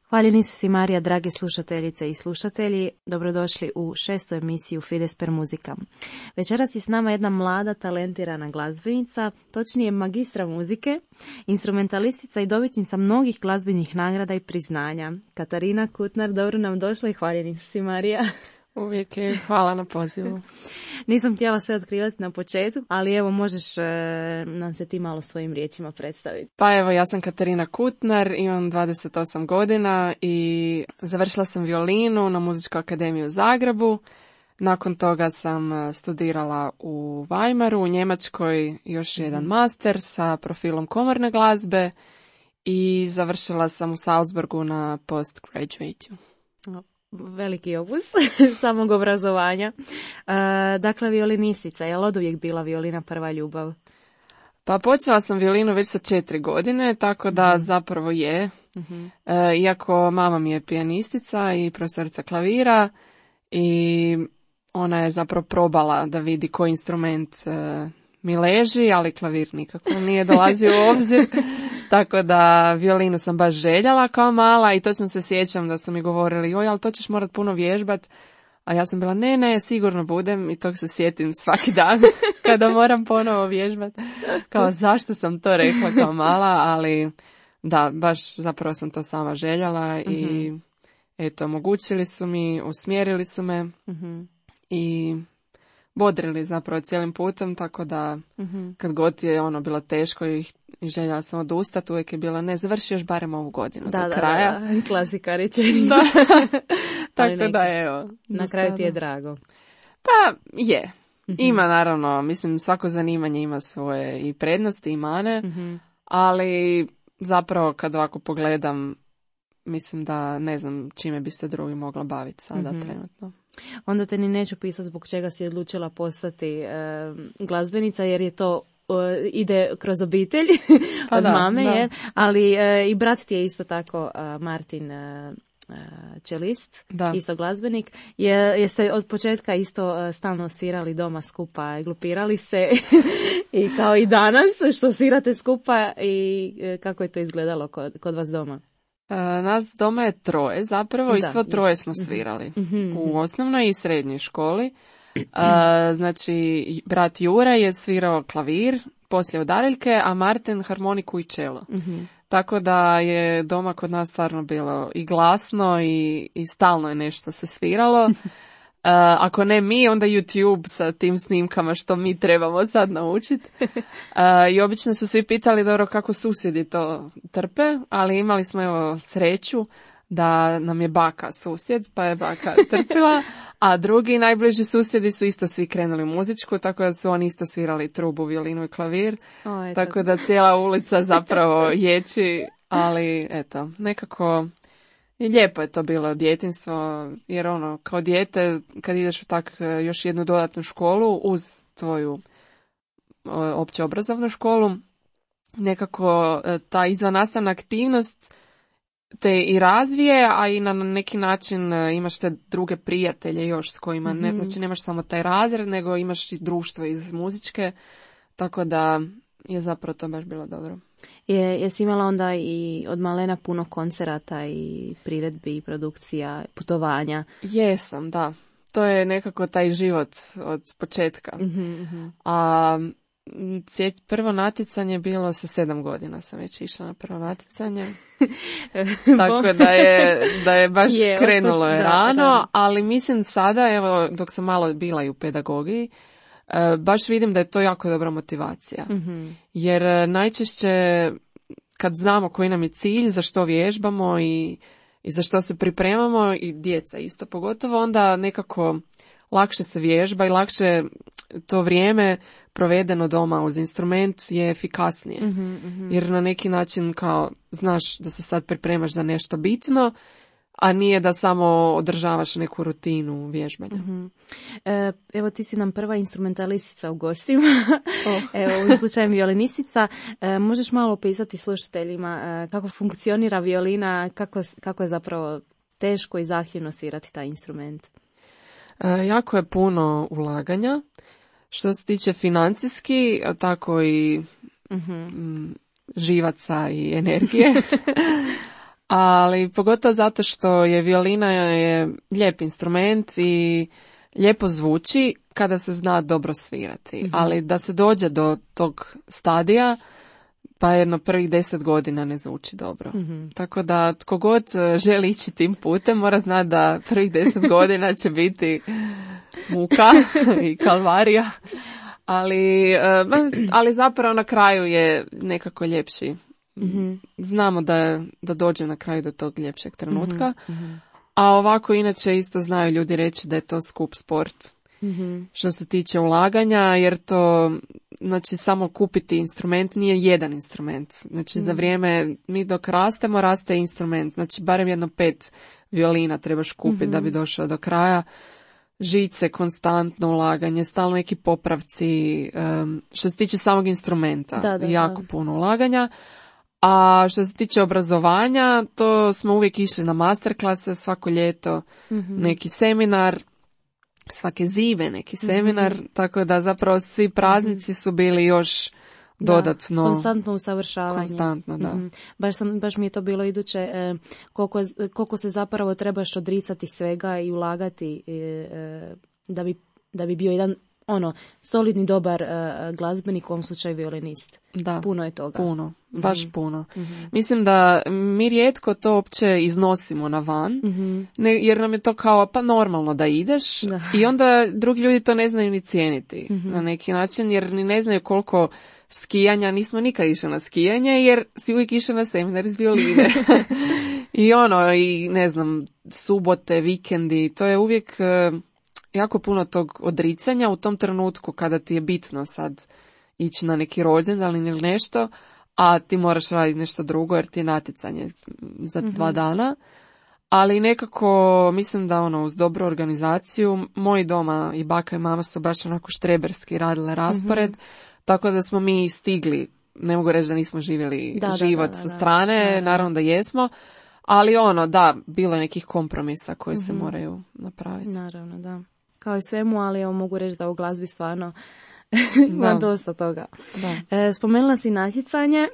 Hvaljeni su si Marija, drage slušateljice i slušatelji, dobrodošli u 6. emisiju Fides per Musicam. Večeras je s nama jedna mlada, talentirana glazbenica, točnije magistra muzike, instrumentalistica i dobitnica mnogih glazbenih nagrada i priznanja. Katarina Kutnar, dobro nam došla i hvaljeni su si Marija. Uvijek je, hvala na pozivu. Nisam htjela sve otkrivati na početku, ali evo možeš nam se ti malo svojim riječima predstaviti. Pa evo, ja sam Katarina Kutnar, imam 28 godina i završila sam violinu na Muzičkoj akademiji u Zagrebu. Nakon toga sam studirala u Weimaru, u Njemačkoj, još jedan master sa profilom komorne glazbe i završila sam u Salzburgu na postgraduate. Veliki opus samog obrazovanja. Dakle, violinistica, je li od uvijek bila violina prva ljubav? Pa počela sam violinu već sa 4 godine, tako da zapravo je. Iako mama mi je pijanistica i profesorica klavira i ona je zapravo probala da vidi koji instrument mi leži, ali klavir nikako nije dolazio u obzir. Tako da violinu sam baš željela kao mala i točno se sjećam da su mi govorili, joj, ali to ćeš morat puno vježbat. A ja sam bila, ne, sigurno budem i tog se sjetim svaki dan kada moram ponovo vježbat. Kao zašto sam to rekla kao mala, ali da, baš zapravo sam to sama željela i eto, omogućili su mi, usmjerili su me i bodrili zapravo cijelim putem, tako da kad god je bilo teško i željela sam odustati, uvijek je bila, ne, završi još barem ovu godinu do kraja. Da, klasika rečenica. Tako da, evo. Na kraju ti je drago. Pa, je. Ima, naravno, mislim, svako zanimanje ima svoje i prednosti i mane, ali zapravo kad ovako pogledam, mislim da ne znam čime bi se drugi mogla baviti sada trenutno. Onda te ni neću pisati zbog čega si odlučila postati glazbenica, jer je to ide kroz obitelj od mame, je, ali i brat ti je isto tako Martin čelist, isto glazbenik. Jeste od početka isto stalno svirali doma skupa, glupirali se i kao i danas što svirate skupa i kako je to izgledalo kod vas doma? Nas doma je 3 zapravo i svo 3 smo svirali u osnovnoj i srednjoj školi. Znači, brat Jura je svirao klavir, poslije udariljke, a Martin harmoniku i čelo. Tako da je doma kod nas stvarno bilo i glasno i stalno je nešto se sviralo. Ako ne mi, onda YouTube sa tim snimkama što mi trebamo sad naučiti. I obično su svi pitali dobro kako susjedi to trpe, ali imali smo evo sreću da nam je baka susjed, pa je baka trpila, a drugi najbliži susjedi su isto svi krenuli u muzičku, tako da su oni isto svirali trubu, violinu i klavir. Tako da cijela ulica zapravo ječi, ali eto, nekako i lijepo je to bilo djetinjstvo, jer kao dijete kad ideš u tak još jednu dodatnu školu uz tvoju opće obrazovnu školu, nekako ta izvannastavna aktivnost te i razvije, a i na neki način imaš te druge prijatelje još s kojima, znači nemaš samo taj razred, nego imaš i društvo iz muzičke, tako da je zapravo to baš bilo dobro. Jesi imala onda i od malena puno koncerata i priredbi i produkcija, putovanja? Jesam, da. To je nekako taj život od početka. A prvo natjecanje bilo sa 7 godina sam već išla na prvo natjecanje. Tako da je baš krenulo je rano, ali mislim sada, evo, dok sam malo bila i u pedagogiji, baš vidim da je to jako dobra motivacija. Jer najčešće kad znamo koji nam je cilj, za što vježbamo i za što se pripremamo, i djeca isto pogotovo, onda nekako lakše se vježba i lakše to vrijeme provedeno doma uz instrument je efikasnije. Jer na neki način kao znaš da se sad pripremaš za nešto bitno, a nije da samo održavaš neku rutinu vježbanja. Evo ti si nam prva instrumentalistica u gostima. Evo u slučaju violinistica. Možeš malo opisati slušateljima kako funkcionira violina, kako je zapravo teško i zahtjevno svirati taj instrument? Jako je puno ulaganja. Što se tiče financijski, tako i živaca i energije. Ali pogotovo zato što je violina je lijep instrument i lijepo zvuči kada se zna dobro svirati. Ali da se dođe do tog stadija, pa jedno prvih 10 godina ne zvuči dobro. Tako da tko god želi ići tim putem mora znati da prvih 10 godina će biti muka i kalvarija. Ali zapravo na kraju je nekako ljepši. Znamo da dođe na kraju do tog ljepšeg trenutka. A ovako inače isto znaju ljudi reći da je to skup sport. Što se tiče ulaganja, jer to, znači, samo kupiti instrument nije jedan instrument. Znači, za vrijeme, mi dok rastemo, raste instrument. Znači, barem jedno 5 violina trebaš kupiti da bi došao do kraja. Žice, konstantno ulaganje, stalno neki popravci. Što se tiče samog instrumenta, jako puno ulaganja. A što se tiče obrazovanja, to smo uvijek išli na masterklase svako ljeto, neki seminar, svake zime neki seminar, tako da zapravo svi praznici su bili još dodatno. Konstantno usavršavanje. Konstantno, da. Baš mi je to bilo iduće, koliko se zapravo trebaš odricati svega i ulagati da bi bio jedan solidni, dobar glazbenik, u ovom slučaju violinist. Da, puno je toga. Puno, baš puno. Mislim da mi rijetko to uopće iznosimo na van, jer nam je to kao pa normalno da ideš i onda drugi ljudi to ne znaju ni cijeniti na neki način, jer ni ne znaju koliko skijanja, nismo nikad išli na skijanje, jer si uvijek išao na seminar iz violine. I ne znam, subote, vikendi, to je uvijek jako puno tog odricanja u tom trenutku kada ti je bitno sad ići na neki rođendan ili nešto, a ti moraš raditi nešto drugo jer ti je natjecanje za 2 dana. Ali nekako mislim da uz dobru organizaciju, moji doma i baka i mama su baš onako štreberski radile raspored, tako da smo mi stigli, ne mogu reći da nismo živjeli život sa strane, naravno da jesmo, ali bilo je nekih kompromisa koji se moraju napraviti. Naravno, da. Kao i svemu, ali evo mogu reći da u glazbi stvarno ima dosta toga. Spomenula si natjecanje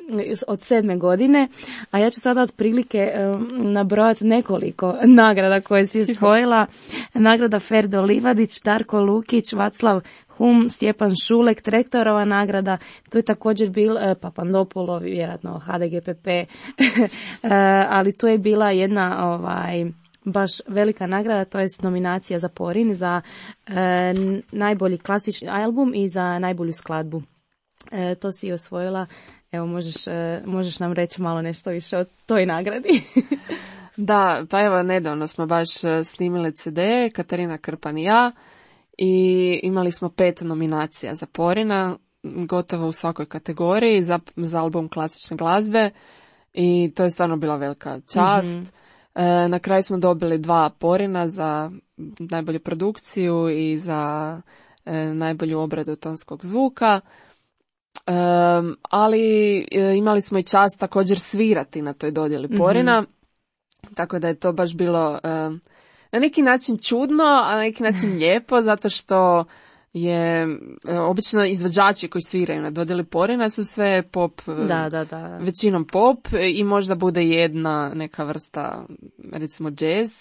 od 7. godine, a ja ću sada otprilike nabrojati nekoliko nagrada koje si osvojila. Nagrada Ferdo Livadić, Darko Lukić, Vaclav Hum, Stjepan Šulek, Trektorova nagrada, tu je također bil Papandopolo, vjerojatno HDGPP, ali tu je bila jedna baš velika nagrada, to je nominacija za Porin, za najbolji klasični album i za najbolju skladbu. To si osvojila. Evo, možeš nam reći malo nešto više o toj nagradi? Da, pa evo, nedavno smo baš snimili CD, Katarina Krpan i ja, i imali smo 5 nominacija za Porina, gotovo u svakoj kategoriji, za album klasične glazbe, i to je stvarno bila velika čast. Na kraju smo dobili 2 Porina za najbolju produkciju i za najbolju obradu tonskog zvuka, ali imali smo i čast također svirati na toj dodjeli Porina, tako da je to baš bilo na neki način čudno, a na neki način lijepo, zato što je obično izvođači koji sviraju na dodjeli Porina su sve pop, većinom pop, i možda bude jedna neka vrsta, recimo jazz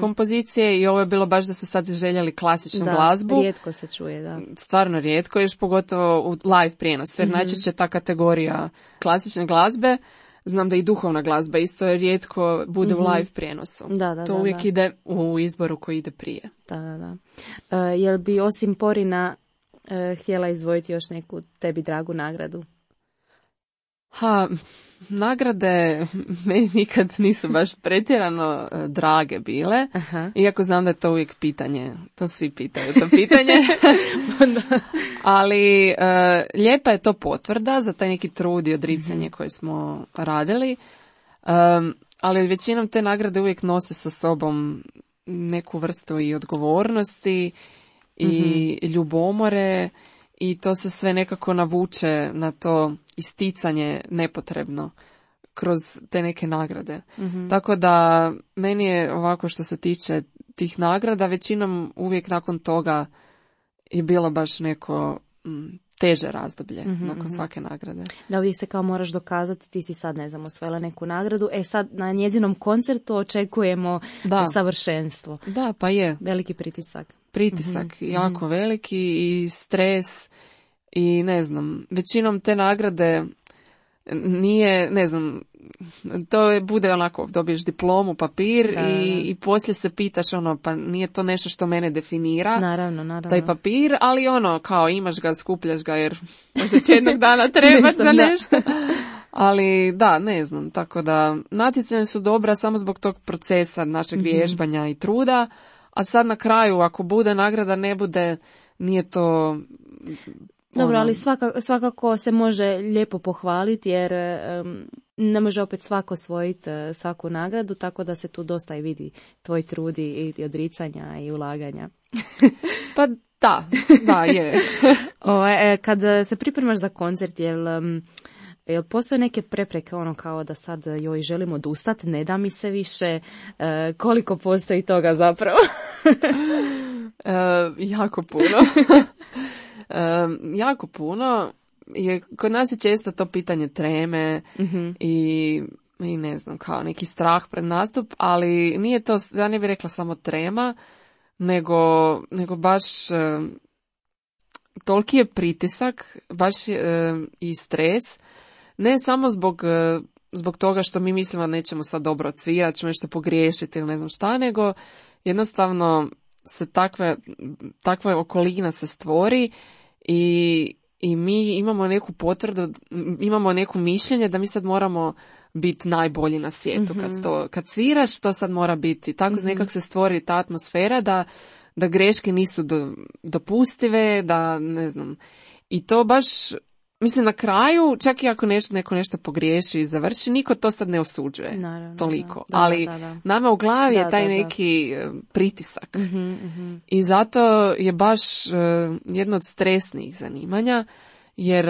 kompozicije, i ovo je bilo baš da su sad željeli klasičnu glazbu. Rijetko se čuje, da. Stvarno rijetko, još pogotovo u live prijenosu, jer najčešće ta kategorija klasične glazbe, znam da i duhovna glazba isto rijetko bude u live prijenosu. To uvijek ide u izboru koji ide prije. Jel bi osim Porina htjela izdvojiti još neku tebi dragu nagradu? Nagrade meni nikad nisu baš pretjerano drage bile, iako znam da je to uvijek pitanje, to svi pitaju to pitanje, ali lijepa je to potvrda za taj neki trud i odricanje koje smo radili, ali većinom te nagrade uvijek nose sa sobom neku vrstu i odgovornosti i ljubomore, i to se sve nekako navuče na to isticanje nepotrebno kroz te neke nagrade. Tako da meni je ovako što se tiče tih nagrada, većinom uvijek nakon toga je bilo baš neko teže razdoblje nakon svake nagrade. Da, uvijek se kao moraš dokazati, ti si sad, ne znam, osvojila neku nagradu, sad na njezinom koncertu očekujemo savršenstvo. Da, pa je. Veliki pritisak. Jako veliki i stres i ne znam, većinom te nagrade nije, ne znam, to bude onako, dobiješ diplomu, papir i poslije se pitaš pa nije to nešto što mene definira, naravno. taj papir, ali kao imaš ga, skupljaš ga jer možda će jednog dana trebaš za nešto. Ali da, ne znam, tako da natjecanja su dobra samo zbog tog procesa našeg vježbanja i truda, a sad na kraju ako bude nagrada, ne bude, nije to... Dobro, ali svakako se može lijepo pohvaliti jer ne može opet svako osvojiti svaku nagradu, tako da se tu dosta i vidi tvoj trud i odricanja i ulaganja. Pa da, je. Kad se pripremaš za koncert, jel postoje neke prepreke kao da sad joj želim odustati, ne da mi se više, koliko postoji toga zapravo? Jako puno. Jako puno. Kod nas je često to pitanje treme i ne znam, kao neki strah pred nastup, ali nije to, ja ne bih rekla samo trema, nego baš toliki je pritisak, baš i stres, ne samo zbog toga što mi mislimo da nećemo sad dobro odsvirati, ćemo nešto pogriješiti ili ne znam šta, nego jednostavno se takva okolina se stvori i mi imamo neku potvrdu, imamo neko mišljenje da mi sad moramo biti najbolji na svijetu. Kad sviraš, to sad mora biti. Tako nekak se stvori ta atmosfera da greške nisu dopustive, da ne znam. I to baš, mislim, na kraju, čak i ako neko nešto pogriješi i završi, niko to sad ne osuđuje. Naravno, toliko. Ali nama u glavi je taj neki pritisak. I zato je baš jedno od stresnih zanimanja, jer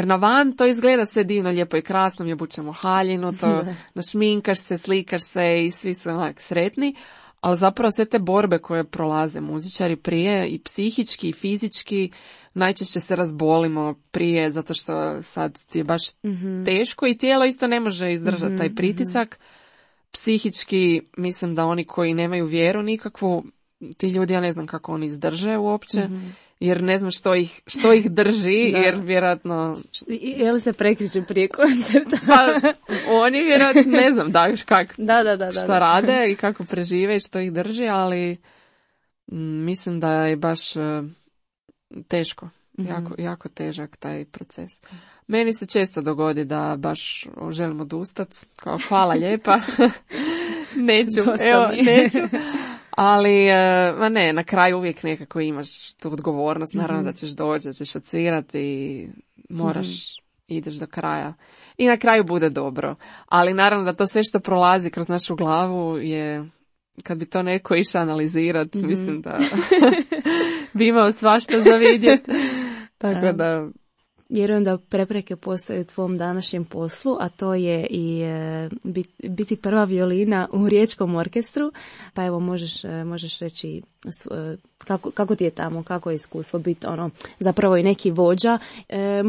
na van to izgleda sve divno, lijepo i krasno, mi obučemo haljinu, to našminkaš se, slikaš se i svi su onak sretni, ali zapravo sve te borbe koje prolaze muzičari prije i psihički i fizički, najčešće se razbolimo prije zato što sad ti je baš teško i tijelo isto ne može izdržati taj pritisak. Psihički mislim da oni koji nemaju vjeru nikakvu, ti ljudi, ja ne znam kako oni izdrže uopće, jer ne znam što ih drži, jer vjerojatno... Je li se prekriču prije koncerta? Pa, oni vjerojatno, ne znam šta rade i kako prežive i što ih drži, ali mislim da je baš teško, jako težak taj proces. Meni se često dogodi da baš želim odustati, kao hvala lijepa, neću. Ali, na kraju uvijek nekako imaš tu odgovornost, naravno da ćeš doći, da ćeš odsvirati i moraš, ideš do kraja. I na kraju bude dobro. Ali naravno da to sve što prolazi kroz našu glavu je, kad bi to neko išao analizirati, mislim da bi imao svašta za vidjeti. Tako da... Vjerujem da prepreke postoje u tvom današnjem poslu, a to je i biti prva violina u riječkom orkestru. Pa evo, možeš reći kako ti je tamo, kako je iskustvo biti zapravo i neki vođa.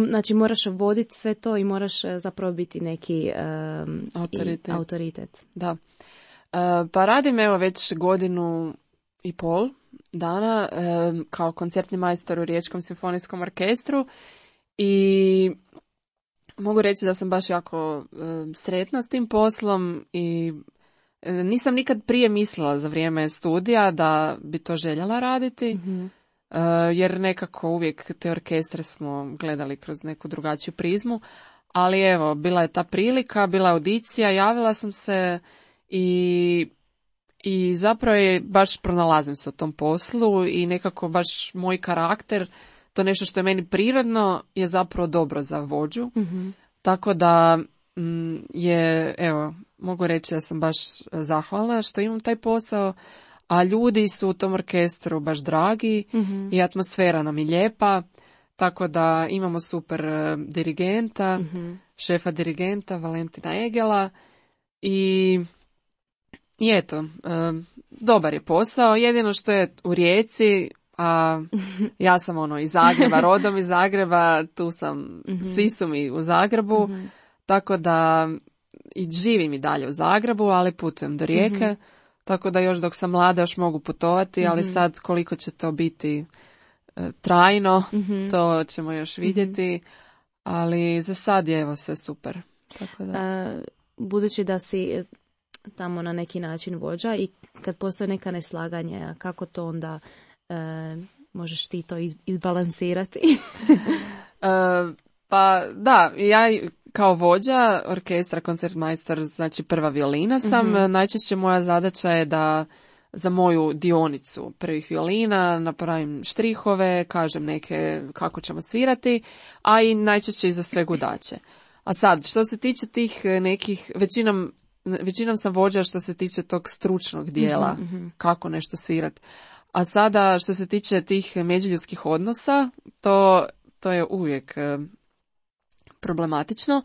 Znači moraš voditi sve to i moraš zapravo biti neki autoritet. Da. Pa radim već 1.5 godina dana kao koncertni majstor u Riječkom simfonijskom orkestru. I mogu reći da sam baš jako sretna s tim poslom i nisam nikad prije mislila za vrijeme studija da bi to željela raditi, jer nekako uvijek te orkestre smo gledali kroz neku drugačiju prizmu, ali evo, bila je ta prilika, bila je audicija, javila sam se i zapravo je baš pronalazim se u tom poslu i nekako baš moj karakter, to nešto što je meni prirodno, je zapravo dobro za vođu. Tako da mogu reći da sam baš zahvalna što imam taj posao, a ljudi su u tom orkestru baš dragi i atmosfera nam je lijepa, tako da imamo super dirigenta šefa dirigenta Valentina Egela i eto, dobar je posao, jedino što je u Rijeci, a ja sam iz Zagreba, rodom iz Zagreba, tu sam, svi su mi u Zagrebu, tako da i živim i dalje u Zagrebu, ali putujem do Rijeke, tako da još dok sam mlada još mogu putovati, ali sad koliko će to biti trajno, to ćemo još vidjeti, ali za sad je evo sve super. Tako da. Budući da si tamo na neki način vođa i kad postoje neka neslaganja, kako to onda možeš ti to izbalansirati? Pa da, ja kao vođa orkestra, koncertmajstor, znači prva violina sam, najčešće moja zadaća je da za moju dionicu prvih violina napravim štrihove, kažem neke kako ćemo svirati, a i najčešće i za sve gudače. A sad, što se tiče tih nekih, većinom sam vođa što se tiče tog stručnog dijela, kako nešto svirati. A sada, što se tiče tih međuljudskih odnosa, to je uvijek problematično,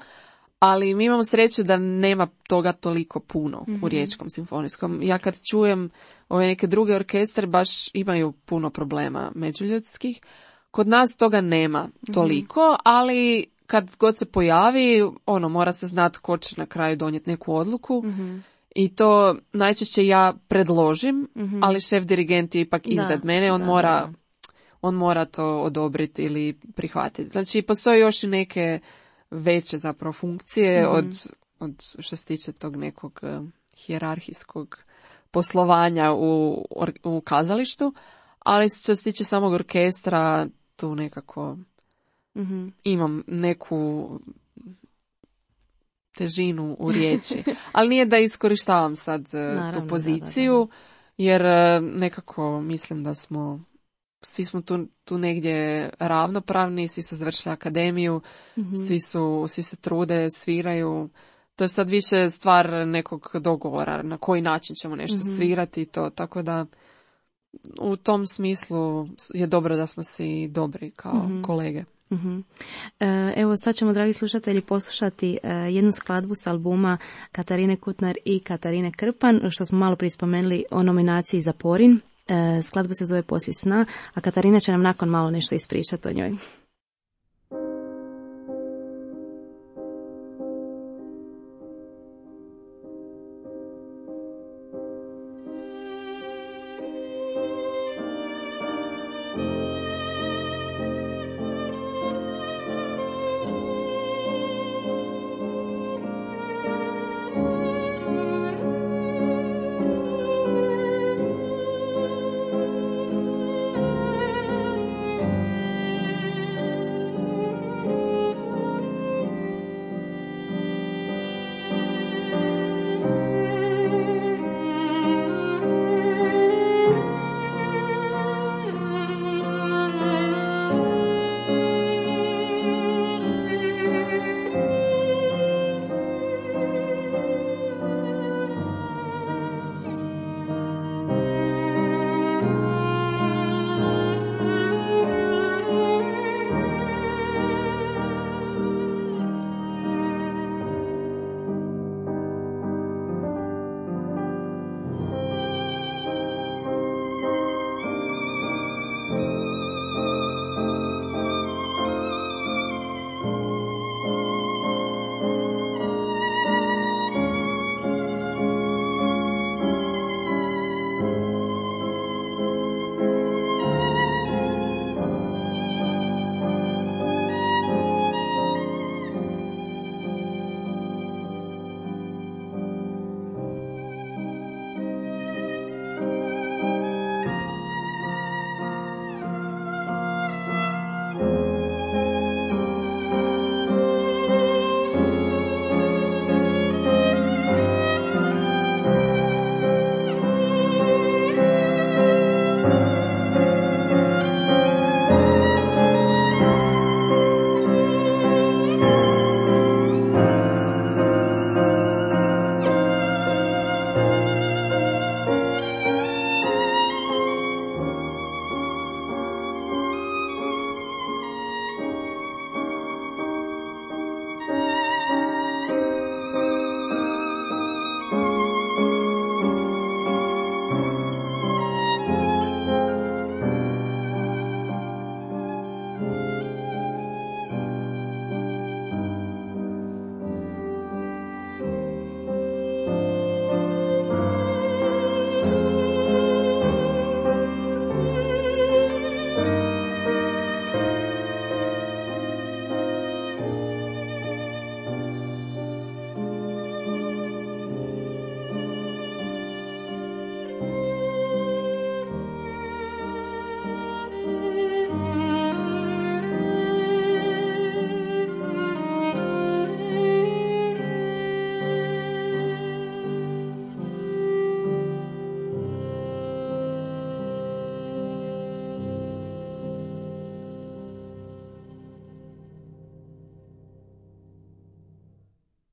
ali mi imamo sreću da nema toga toliko puno u Riječkom simfonijskom. Ja kad čujem ove neke druge orkestre, baš imaju puno problema međuljudskih. Kod nas toga nema toliko, ali kad god se pojavi, mora se znati ko će na kraju donijeti neku odluku. I to najčešće ja predložim, ali šef dirigent je ipak iznad mene, on mora to odobriti ili prihvatiti. Znači, postoje još i neke veće zapravo funkcije od što se tiče tog nekog hijerarhijskog poslovanja u kazalištu, ali što se tiče samog orkestra, tu nekako imam neku težinu u riječi. Ali nije da iskorištavam sad tu poziciju, jer nekako mislim da svi smo tu negdje ravnopravni, svi su završili akademiju, svi se trude, sviraju. To je sad više stvar nekog dogovora, na koji način ćemo nešto svirati i to, tako da u tom smislu je dobro da smo svi dobri kao kolege. Evo sad ćemo, dragi slušatelji, poslušati jednu skladbu s albuma Katarine Kutnar i Katarine Krpan, što smo malo prije spomenuli o nominaciji za Porin. Skladba se zove Poslije sna, a Katarina će nam nakon malo nešto ispričati o njoj.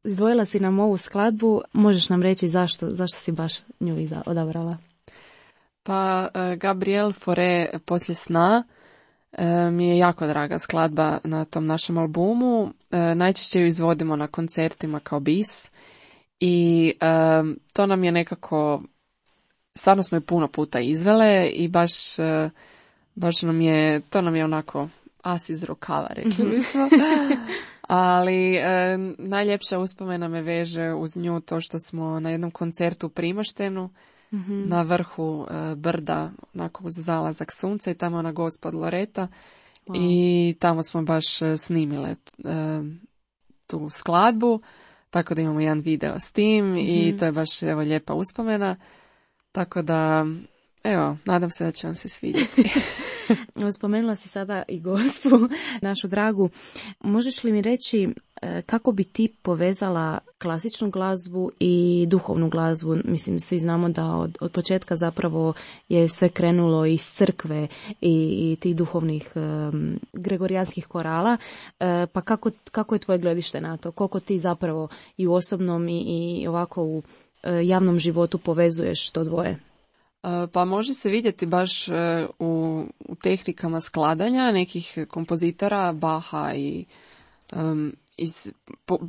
izdvojila si nam ovu skladbu, možeš nam reći zašto si baš nju odabrala? Pa Gabriel Fauré Poslije sna mi je jako draga skladba na tom našem albumu. Najčešće ju izvodimo na koncertima kao bis i to nam je nekako, stvarno smo je puno puta izvele i baš nam je, to nam je onako as iz rukava, rekli bismo. Ali najljepša uspomena me veže uz nju to što smo na jednom koncertu u Primoštenu, na vrhu brda, onako uz zalazak sunca i tamo ona Gospod Loreta. Wow. I tamo smo baš snimile tu skladbu, tako da imamo jedan video s tim i to je baš evo lijepa uspomena. Tako da, evo, nadam se da će vam se svidjeti. Spomenula si sada i Gospu, našu dragu. Možeš li mi reći kako bi ti povezala klasičnu glazbu i duhovnu glazbu? Mislim, svi znamo da od početka zapravo je sve krenulo iz crkve i tih duhovnih gregorijanskih korala. Pa kako je tvoje gledište na to? Koliko ti zapravo i u osobnom i ovako u javnom životu povezuješ to dvoje? Pa može se vidjeti baš u tehnikama skladanja nekih kompozitora, Baha i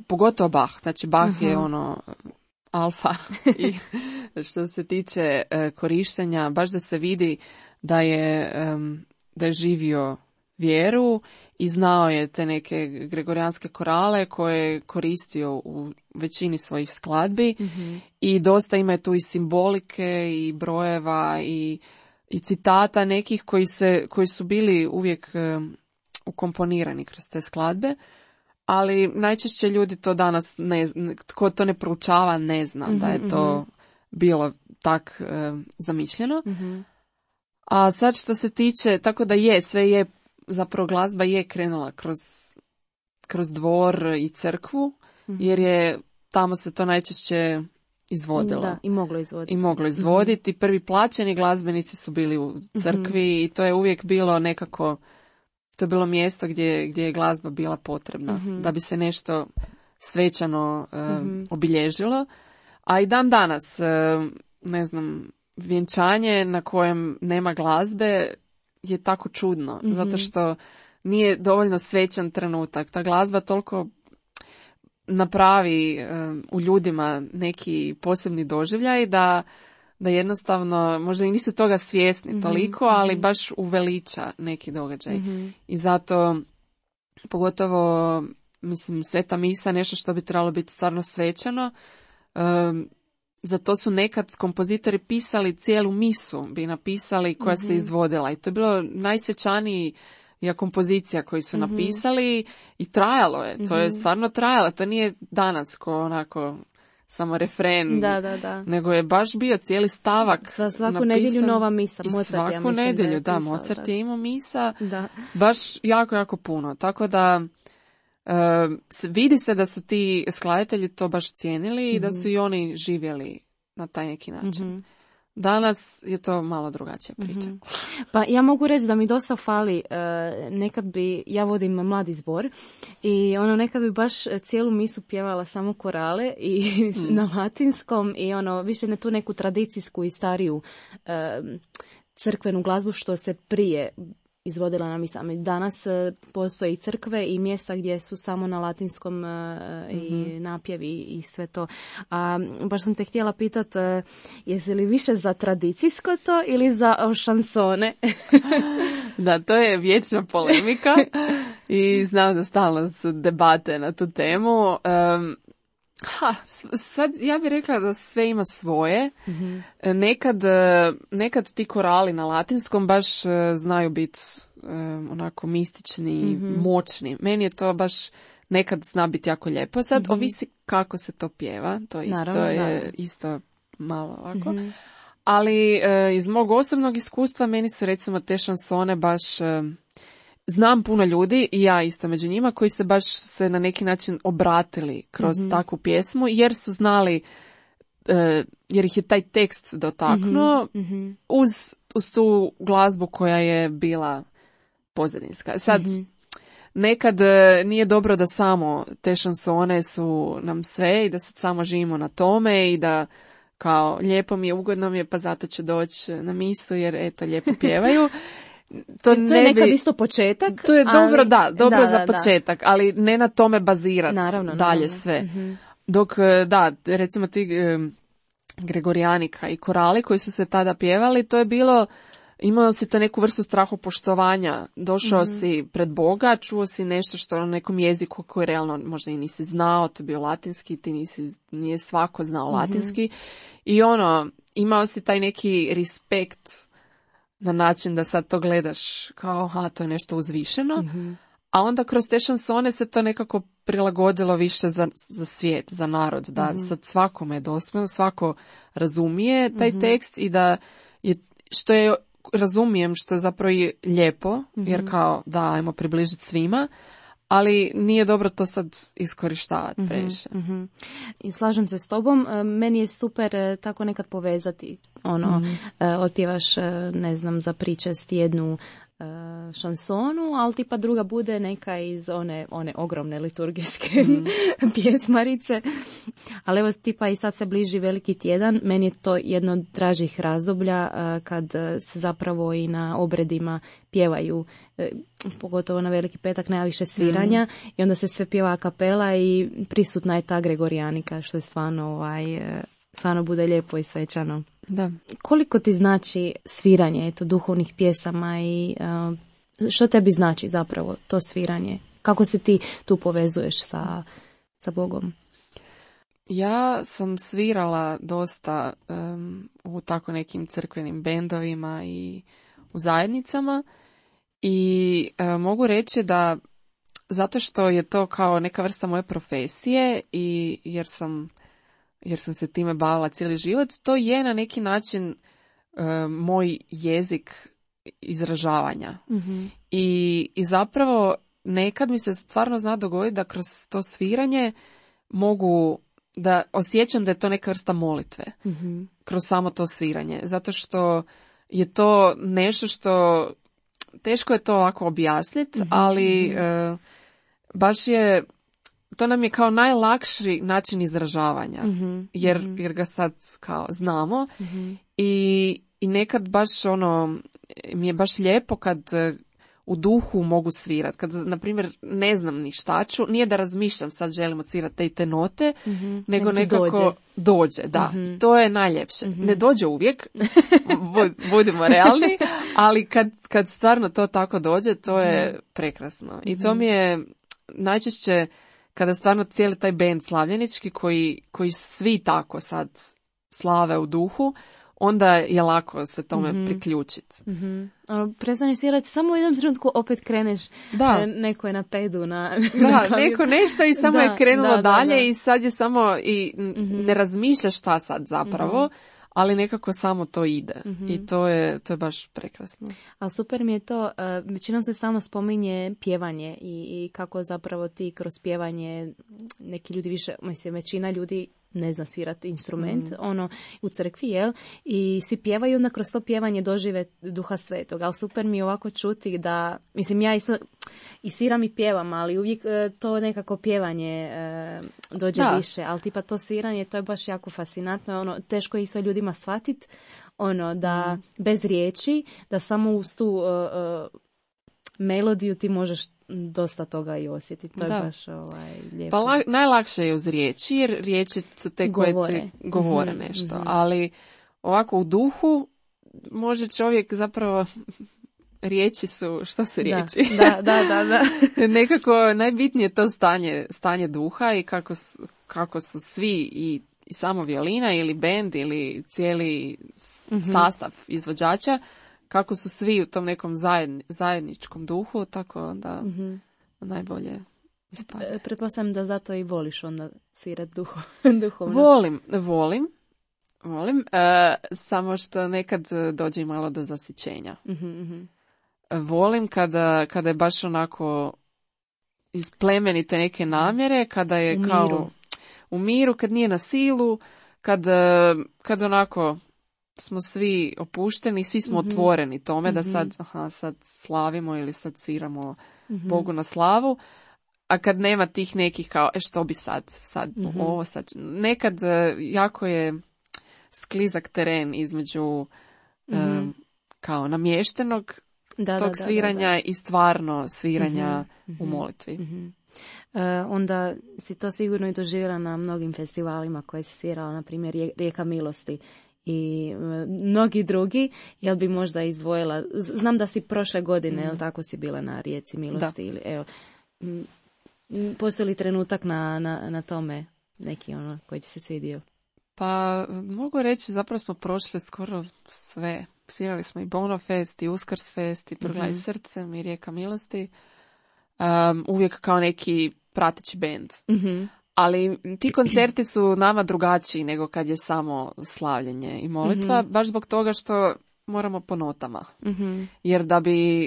pogotovo Bach. Znači Bach je ono alfa i što se tiče korištenja, baš da se vidi da je živio vjeru i znao je te neke gregorijanske korale koje je koristio u većini svojih skladbi i dosta ima tu i simbolike i brojeva i citata nekih koji su bili uvijek ukomponirani kroz te skladbe, ali najčešće ljudi to danas tko to ne proučava ne zna da je to bilo tak zamišljeno. A sad što se tiče, tako da sve je zapravo glazba je krenula kroz dvor i crkvu, jer je tamo se to najčešće izvodilo. Da, i moglo izvoditi. Prvi plaćeni glazbenici su bili u crkvi i to je uvijek bilo nekako, to je bilo mjesto gdje je glazba bila potrebna, da bi se nešto svečano obilježilo. A i dan danas, ne znam, vjenčanje na kojem nema glazbe je tako čudno, zato što nije dovoljno svečan trenutak. Ta glazba toliko napravi u ljudima neki posebni doživljaj da jednostavno možda i nisu toga svjesni toliko, ali baš uveliča neki događaj. I zato pogotovo, mislim, Sveta misa nešto što bi trebalo biti stvarno svečano. Zato su nekad kompozitori pisali cijelu misu, bi napisali koja se izvodila. I to je bilo najsvečanija kompozicija koju su napisali i trajalo je. To je stvarno trajalo. To nije danas ko onako samo refren. Da. Nego je baš bio cijeli stavak svaku napisan. nedjelju nova misa. Mozart, svaku nedjelju, da. Mozart je imao misa. Da. Baš jako, jako puno. Tako da vidi se da su ti skladatelji to baš cijenili i da su i oni živjeli na taj neki način. Danas je to malo drugačija priča. Pa ja mogu reći da mi dosta fali, ja vodim mladi zbor i nekad bi baš cijelu misu pjevala samo korale i na latinskom i više ne tu neku tradicijsku i stariju crkvenu glazbu što se prije izvodila na misama. Danas postoje i crkve i mjesta gdje su samo na latinskom i napjevi i sve to. A baš sam te htjela pitat, jesi li više za tradicijsko to ili za šansone? Da, to je vječna polemika i znam da stalno su debate na tu temu. Sad ja bih rekla da sve ima svoje. Nekad ti korali na latinskom baš znaju biti onako mistični, moćni. Meni je to baš nekad zna biti jako lijepo. Sad ovisi kako se to pjeva. To isto malo ovako. Ali iz mog osobnog iskustva meni su recimo te šansone baš... Znam puno ljudi i ja isto među njima koji se baš na neki način obratili kroz takvu pjesmu jer su znali, jer ih je taj tekst dotaknuo uz tu glazbu koja je bila pozadinska. Sad, nekad nije dobro da samo te šansone su nam sve i da sad samo živimo na tome i da kao lijepo mi je, ugodno mi je, pa zato ću doći na misu jer eto lijepo pjevaju. To je nekad isto početak. To je dobro, dobro za početak, ali ne na tome bazirati dalje sve. Mm-hmm. Dok, recimo ti Gregorijanika i korali koji su se tada pjevali, to je bilo, imao si te neku vrstu strahopoštovanja. Došao si pred Boga, čuo si nešto što na nekom jeziku koji realno možda i nisi znao, to je bio latinski, nije svako znao latinski. I imao si taj neki respekt na način da sad to gledaš kao, to je nešto uzvišeno. A onda kroz te šansone se to nekako prilagodilo više za svijet, za narod, da sad svakome je dostupno, svako razumije taj tekst i da je, što je, razumijem što je zapravo i lijepo, jer kao da, ajmo približiti svima, ali nije dobro to sad iskorištavati previše. I slažem se s tobom, meni je super tako nekad povezati, otpjevaš, ne znam, za pričest jednu šansonu, ali tipa druga bude neka iz one ogromne liturgijske pjesmarice. Ali evo tipa i sad se bliži Veliki tjedan, meni je to jedno od dražih razdoblja kad se zapravo i na obredima pjevaju, pogotovo na Veliki petak najviše sviranja i onda se sve pjeva a kapela i prisutna je ta Gregorijanika, što je stvarno bude lijepo i svečano. Da. Koliko ti znači sviranje duhovnih pjesama i što tebi znači zapravo to sviranje? Kako se ti tu povezuješ sa Bogom? Ja sam svirala dosta u tako nekim crkvenim bendovima i u zajednicama i mogu reći da zato što je to kao neka vrsta moje profesije i jer sam se time bavila cijeli život, to je na neki način moj jezik izražavanja. I zapravo nekad mi se stvarno zna dogoditi da kroz to sviranje mogu da osjećam da je to neka vrsta molitve kroz samo to sviranje. Zato što je to nešto što teško je to ovako objasniti, ali baš je to nam je kao najlakši način izražavanja, jer ga sad kao znamo i nekad baš mi je baš lijepo kad u duhu mogu svirat. Kad, na primjer, ne znam ni šta ću, nije da razmišljam sad želim odsvirati te note, nego nekako dođe. Da, to je najljepše. Ne dođe uvijek, budimo realni, ali kad stvarno to tako dođe, to je prekrasno. I to mi je najčešće kada stvarno cijeli taj bend slavljenički koji svi tako sad slave u duhu, onda je lako se tome priključiti. Prestaneš svirati, samo u jednom trenutku opet kreneš, neko je na pedu. Neko nešto i samo je krenulo dalje i sad je samo i ne razmišljaš šta sad zapravo, ali nekako samo to ide i to je baš prekrasno. A super mi je to, većinom se stalno spominje pjevanje i kako zapravo ti kroz pjevanje neki ljudi više, većina ljudi ne zna svirati instrument, u crkvi, i svi pjevaju, onda kroz to pjevanje dožive Duha Svetog, ali super mi je ovako čuti da, ja isto i sviram i pjevam, ali uvijek to nekako pjevanje dođe više, ali tipa to sviranje, to je baš jako fascinantno, teško je isto ljudima shvatiti, da bez riječi, da samo uz tu melodiju ti možeš dosta toga i osjetiti. To je baš lijepo. Pa najlakše je uz riječi, jer riječi su te koje govore nešto. Ali ovako u duhu može čovjek zapravo riječi su, što su riječi? Da. Nekako najbitnije je to stanje duha i kako su svi i samo violina ili bend ili cijeli sastav izvođača, kako su svi u tom nekom zajedničkom duhu, tako da najbolje ispadne. Pretpostavljam da zato i voliš onda svirati duhovno. Volim, samo što nekad dođe i malo do zasićenja. Volim kada je baš onako iz plemenite neke namjere, kada je u miru, kad nije na silu, kad onako smo svi opušteni, svi smo otvoreni tome da sad slavimo ili sad sviramo Bogu na slavu, a kad nema tih nekih kao, što bi sad ovo sad, nekad jako je sklizak teren između kao namještenog tog sviranja i stvarno sviranja u molitvi. Onda si to sigurno i doživjela na mnogim festivalima koje si svirala, na primjer Rijeka milosti i mnogi drugi. Jel bi možda izdvojila, znam da si prošle godine, jel tako, si bila na Rijeci milosti, ili evo, postoji li trenutak na tome neki koji ti se svidio? Pa mogu reći, zapravo smo prošli skoro sve. Svirali smo i Bono Fest, i Uskrs Fest, i Proglas srcem, i Rijeka milosti. Uvijek kao neki prateći bend. Ali ti koncerti su nama drugačiji nego kad je samo slavljenje i molitva, baš zbog toga što moramo po notama. Jer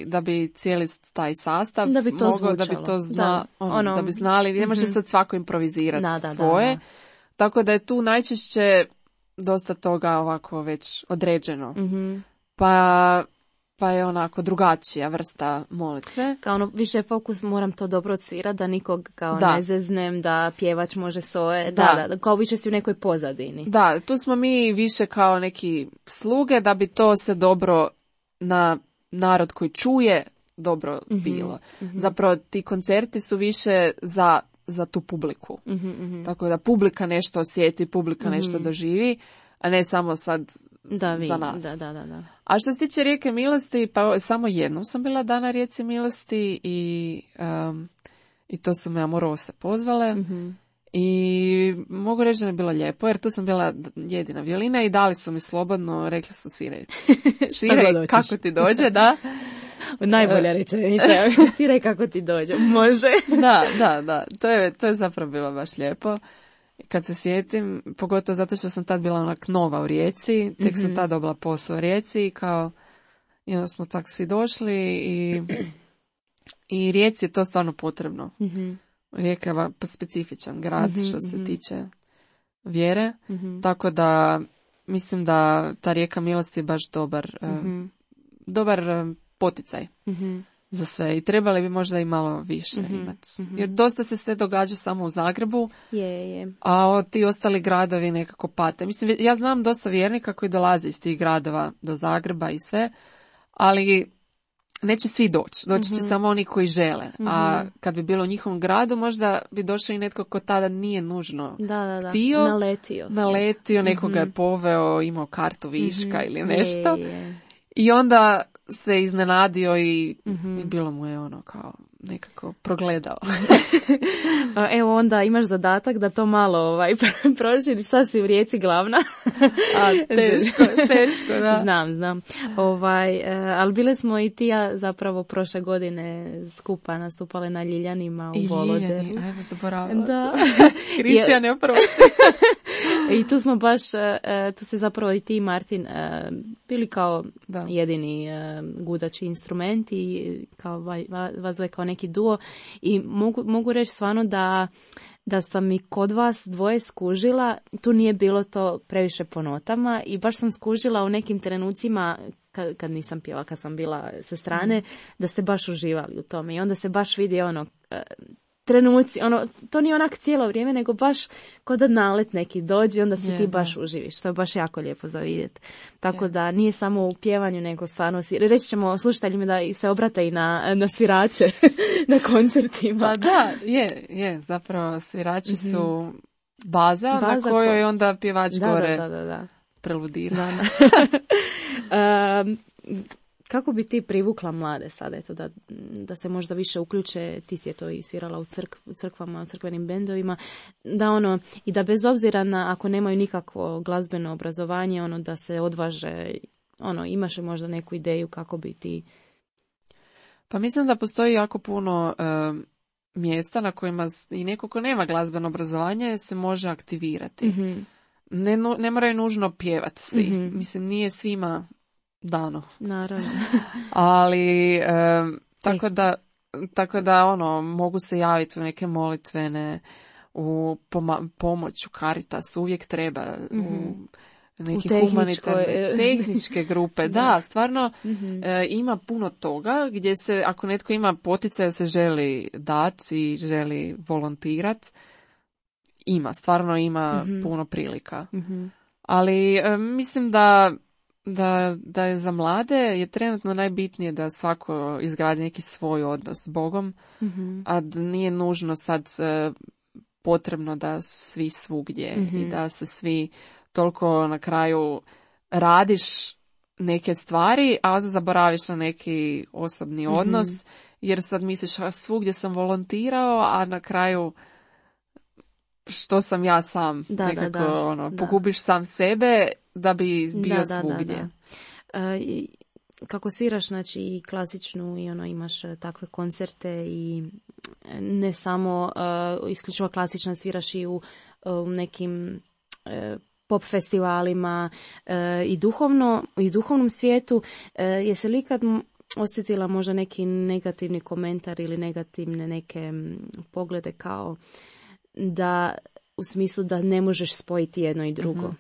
da bi cijeli taj sastav da bi to mogao, da bi to da bi znali, ne može sad svako improvizirati svoje. Da. Tako da je tu najčešće dosta toga ovako već određeno. Pa je onako drugačija vrsta molitve. Kao više fokus, moram to dobro odsvirati, da nikog kao ne zeznem, da pjevač može svoje, da, kao više si u nekoj pozadini. Da, tu smo mi više kao neki sluge da bi to se dobro na narod koji čuje dobro bilo. Zapravo ti koncerti su više za tu publiku. Tako da publika nešto osjeti, publika nešto doživi, a ne samo sad za nas. Da. A što se tiče Rijeke milosti, pa samo jednom sam bila na Rijeci milosti i to su me Amorose pozvale. I mogu reći da mi je bilo lijepo, jer tu sam bila jedina violina i dali su mi slobodno, rekli su sviraj kako ti dođe, da. Najbolja rečenica, sviraj kako ti dođe, može. Da, to je zapravo bilo baš lijepo. Kad se sjetim, pogotovo zato što sam tad bila onak nova u Rijeci, tek sam tad dobila posao u Rijeci i onda smo tak svi došli i Rijeci je to stvarno potrebno. Rijeka je specifičan grad što se tiče vjere, tako da mislim da ta Rijeka milosti je baš dobar poticaj za sve i trebali bi možda i malo više imati. Jer dosta se sve događa samo u Zagrebu, a ti ostali gradovi nekako pate. Mislim, ja znam dosta vjernika koji dolaze iz tih gradova do Zagreba i sve, ali neće svi doći. Doći će samo oni koji žele. A kad bi bilo u njihovom gradu, možda bi došao i netko ko tada nije nužno htio. Naletio, nekoga je poveo, imao kartu viška ili nešto. I onda se iznenadio i bilo mu je kao nekako progledao. Evo onda imaš zadatak da to malo proširiš, sad si u Rijeci glavna. Teško, da. Znam. Ali bile smo i ti ja zapravo prošle godine skupa nastupale na Ljiljanima u Volodelu. Ajmo, zaboravila sam. Kristijan je oprosti. I tu smo baš, tu se zapravo i ti i Martin bili kao jedini gudači instrumenti i kao vas zove kao neki duo i mogu reći stvarno da sam i kod vas dvoje skužila, tu nije bilo to previše po notama i baš sam skužila u nekim trenucima kad nisam pjevala, kad sam bila sa strane, da ste baš uživali u tome i onda se baš vidi trenuci, to nije onak cijelo vrijeme, nego baš kod da nalet neki dođe, onda se ti baš uživiš. To je baš jako lijepo za vidjeti. Tako da nije samo u pjevanju, nego stvarno reći ćemo slušateljima da se obrate i na svirače na koncertima. Pa da, je. Zapravo svirači su baza na kojoj onda pjevač gore preludira. Kako bi ti privukla mlade sada, da se možda više uključe, ti si je to i svirala u crkvama, u crkvenim bendovima, da i da bez obzira na ako nemaju nikakvo glazbeno obrazovanje, da se odvaže, imaš možda neku ideju kako bi ti... Pa mislim da postoji jako puno mjesta na kojima i neko ko nema glazbeno obrazovanje se može aktivirati. Ne moraju nužno pjevati svi. Mislim, nije svima dano. Naravno. Ali tako da mogu se javiti u neke molitvene, u pomoć u Caritas uvijek treba, u neki humanitarne, tehničke grupe. Da, stvarno ima puno toga gdje se, ako netko ima poticaj se želi dati i želi volontirati, stvarno ima puno prilika. Ali mislim da je za mlade je trenutno najbitnije da svako izgradi neki svoj odnos s Bogom, a da nije nužno sad potrebno da su svi svugdje i da se svi toliko na kraju radiš neke stvari, a zaboraviš na neki osobni odnos, jer sad misliš svugdje sam volontirao, a na kraju što sam ja sam, pogubiš sam sebe da bi bio svugdje. Kako sviraš, znači, i klasičnu i imaš takve koncerte i ne samo isključivo klasično, sviraš i u nekim pop festivalima i duhovnom svijetu. Jesi li ikad osjetila možda neki negativni komentar ili negativne neke poglede kao da u smislu da ne možeš spojiti jedno i drugo?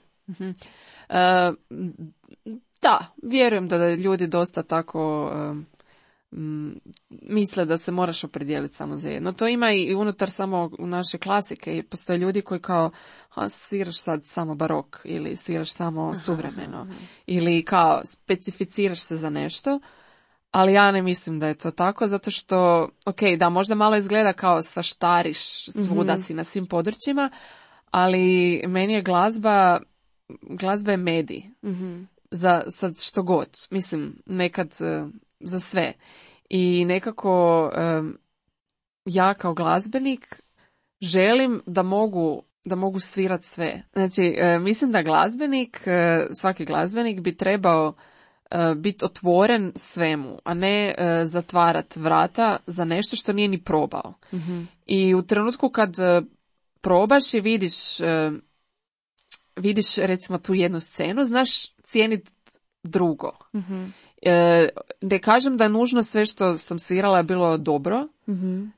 Da, vjerujem da ljudi dosta tako misle da se moraš opredijeliti samo za jedno. To ima i unutar samo naše klasike. Postoje ljudi koji kao sviraš sad samo barok ili sviraš samo suvremeno ili kao specificiraš se za nešto. Ali ja ne mislim da je to tako, zato što, da, možda malo izgleda kao svaštariš, svuda si na svim područjima, ali meni je glazba je medij. Za sad što god, mislim, nekad za sve. I nekako ja kao glazbenik želim da mogu svirat sve. Znači, mislim da svaki glazbenik bi trebao biti otvoren svemu, a ne zatvarat vrata za nešto što nije ni probao. I u trenutku kad probaš i vidiš recimo tu jednu scenu, znaš cijeniti drugo. Ne kažem da je nužno sve što sam svirala je bilo dobro,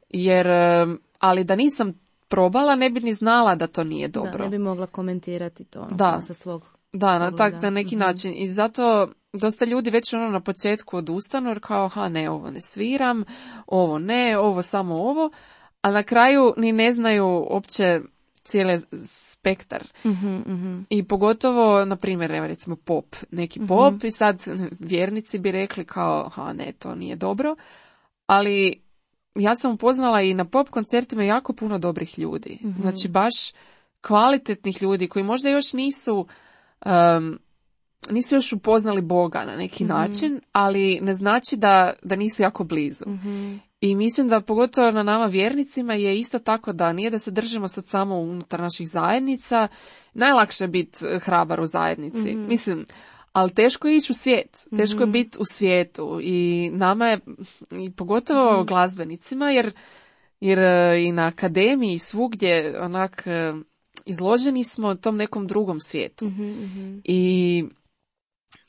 jer, ali da nisam probala ne bi ni znala da to nije dobro. Da, ne bi mogla komentirati to sa svog Da, na neki način. I zato dosta ljudi već na početku odustanu jer kao, ne, ovo ne sviram, ovo ne, ovo samo ovo, a na kraju ni ne znaju uopće cijeli spektar. I pogotovo, na primjer, recimo pop, neki pop i sad vjernici bi rekli kao, ne, to nije dobro, ali ja sam upoznala i na pop koncertima jako puno dobrih ljudi. Znači baš kvalitetnih ljudi koji možda još nisu još upoznali Boga na neki način, ali ne znači da nisu jako blizu. I mislim da pogotovo na nama vjernicima je isto tako da nije da se držimo sad samo unutar naših zajednica, najlakše je biti hrabar u zajednici. Mislim, ali teško je ići u svijet, teško je biti u svijetu i nama je, i pogotovo glazbenicima, jer i na akademiji svugdje onak izloženi smo tom nekom drugom svijetu.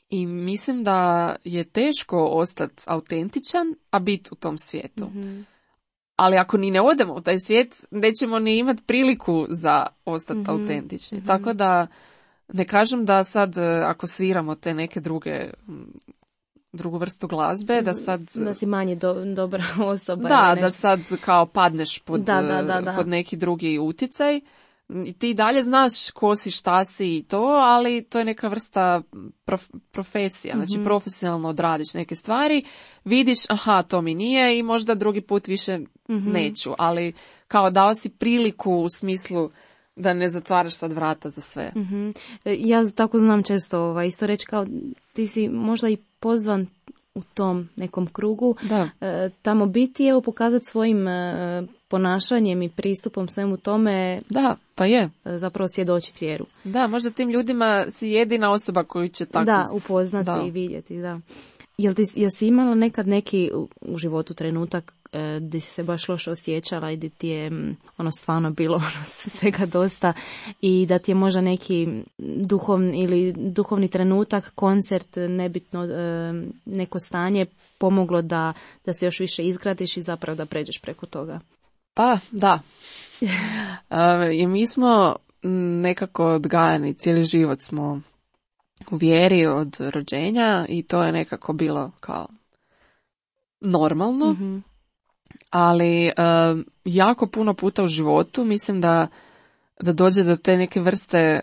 I mislim da je teško ostati autentičan, a biti u tom svijetu. Ali ako ni ne odemo u taj svijet, nećemo ni imati priliku za ostati autentični. Tako da ne kažem da sad ako sviramo te neke drugu vrstu glazbe, da sad... Da si manje dobra osoba. Da sad kao padneš pod neki drugi utjecaj. I ti dalje znaš ko si, šta si i to, ali to je neka vrsta profesija. Znači profesionalno odradiš neke stvari, vidiš, to mi nije i možda drugi put više neću. Ali kao dao si priliku u smislu da ne zatvaraš sad vrata za sve. Ja tako znam često isto reći kao ti si možda i pozvan u tom nekom krugu tamo biti, evo pokazati svojim ponašanjem i pristupom svemu tome. Da, pa je. Zapravo svjedočiti vjeru. Da, možda tim ljudima si jedina osoba koju će tako... upoznati i vidjeti, da. Jesi imala nekad neki u životu trenutak gdje si se baš loše osjećala i gdje ti je stvarno bilo svega dosta i da ti je možda neki duhovni trenutak, koncert, nebitno neko stanje pomoglo da se još više izgradiš i zapravo da pređeš preko toga? Pa, da. I mi smo nekako odgajani, cijeli život smo u vjeri od rođenja i to je nekako bilo kao normalno, ali jako puno puta u životu mislim da dođe do te neke vrste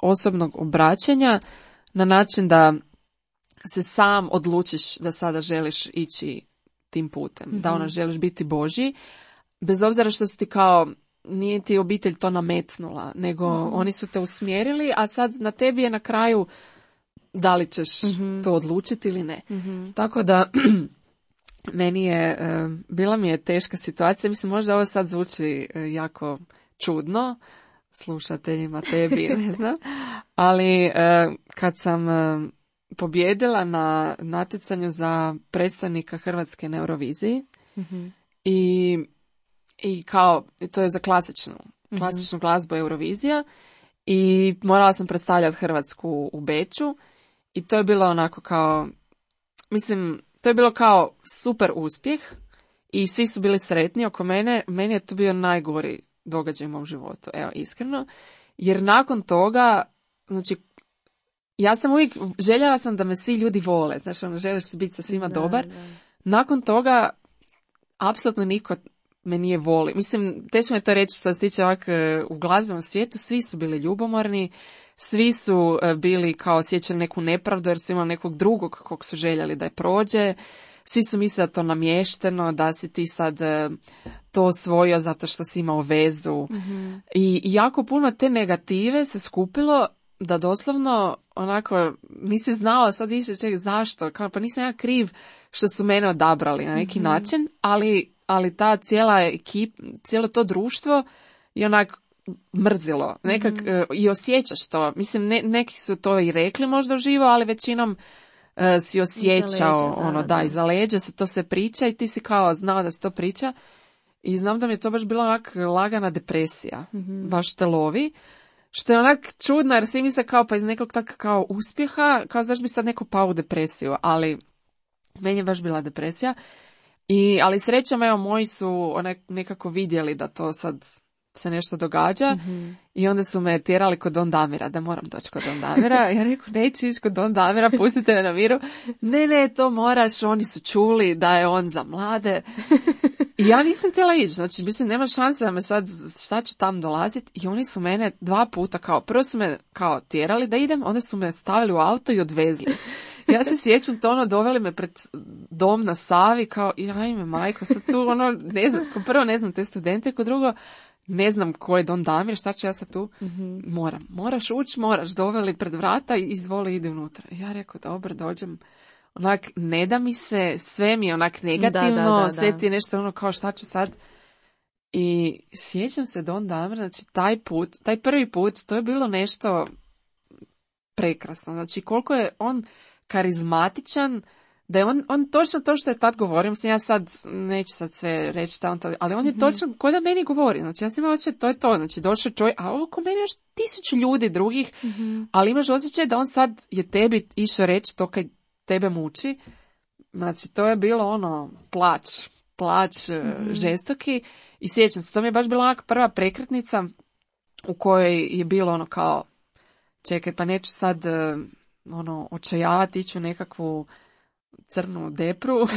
osobnog obraćanja na način da se sam odlučiš da sada želiš ići tim putem, da želiš biti Božji, bez obzira što su ti kao, nije ti obitelj to nametnula, nego oni su te usmjerili, a sad na tebi je na kraju da li ćeš to odlučiti ili ne. Tako da bila mi je teška situacija, mislim možda ovo sad zvuči jako čudno slušateljima, tebi, ne znam, ali kad sam pobijedila na natjecanju za predstavnika Hrvatske na Euroviziji i kao, to je za klasičnu glazbu Eurovizija i morala sam predstavljati Hrvatsku u Beču i to je bilo onako kao, mislim, to je bilo kao super uspjeh i svi su bili sretni oko mene. Meni je to bio najgori događaj u mom životu, evo, iskreno, jer nakon toga, znači, ja sam uvijek, željela sam da me svi ljudi vole, znači, želiš biti sa svima dobar. Da. Nakon toga, apsolutno niko me nije voli. Mislim, teško mi je to reći što se tiče ovak u glazbenom svijetu, svi su bili ljubomorni, svi su bili kao osjećali neku nepravdu jer su imali nekog drugog kog su željeli da je prođe. Svi su mislili da to namješteno, da si ti sad to osvojio zato što si imao vezu. I jako puno te negative se skupilo da doslovno onako nisi znao sad više zašto. Kao, pa nisam ja kriv što su mene odabrali na neki način, ali ta cijela ekipa, cijelo to društvo je onak mrzilo. Nekak, i osjećaš to. Mislim, neki su to i rekli možda uživo, ali većinom si osjećao iza leđa se to se priča i ti si kao znao da se to priča i znam da mi je to baš bila onak lagana depresija, baš te lovi, što je onak čudno jer svi misle kao pa iz nekog tak kao uspjeha, kao zašto bi sad neko pao u depresiju, ali meni je baš bila depresija ali srećom evo moji su nekako vidjeli da to sad se nešto događa i onda su me tjerali kod Don Damira, da moram doći kod Don Damira. Ja rekao, neću ići kod Don Damira, pustite me na miru. Ne, to moraš, oni su čuli da je on za mlade. I ja nisam htjela ići, znači mislim, nema šanse da me sad, šta ću tam dolaziti. I oni su mene 2 puta kao, prvo su me kao tjerali da idem, onda su me stavili u auto i odvezli. Ja se sjećam to, doveli me pred dom na Savi, kao, ajme majko, sad tu, ne znam, prvo ne znam te studente, ko drugo, ne znam ko je Don Damir, šta ću ja sad tu? Moraš ući, doveli pred vrata i izvoli ide unutra. Ja rekao, dobro, dođem. Onak, ne da mi se, sve mi je onak negativno, sve ti je nešto kao šta ću sad. I sjećam se Don Damir, znači taj prvi put, to je bilo nešto prekrasno. Znači koliko je on karizmatičan, da je on točno to što je tad govorio, mislim ja sad neću sad sve reći ali on je točno ko da meni govori, znači ja sam imala osjećaj to je to, znači došao čovjek, a oko mene još 1000 ljudi drugih, ali imaš osjećaj da on sad je tebi išao reći to kad tebe muči, znači to je bilo plać žestoki i sjećam se, to mi je baš bila onaka prva prekretnica u kojoj je bilo kao čekaj pa neću sad očajavati, iću nekakvu crnu depru,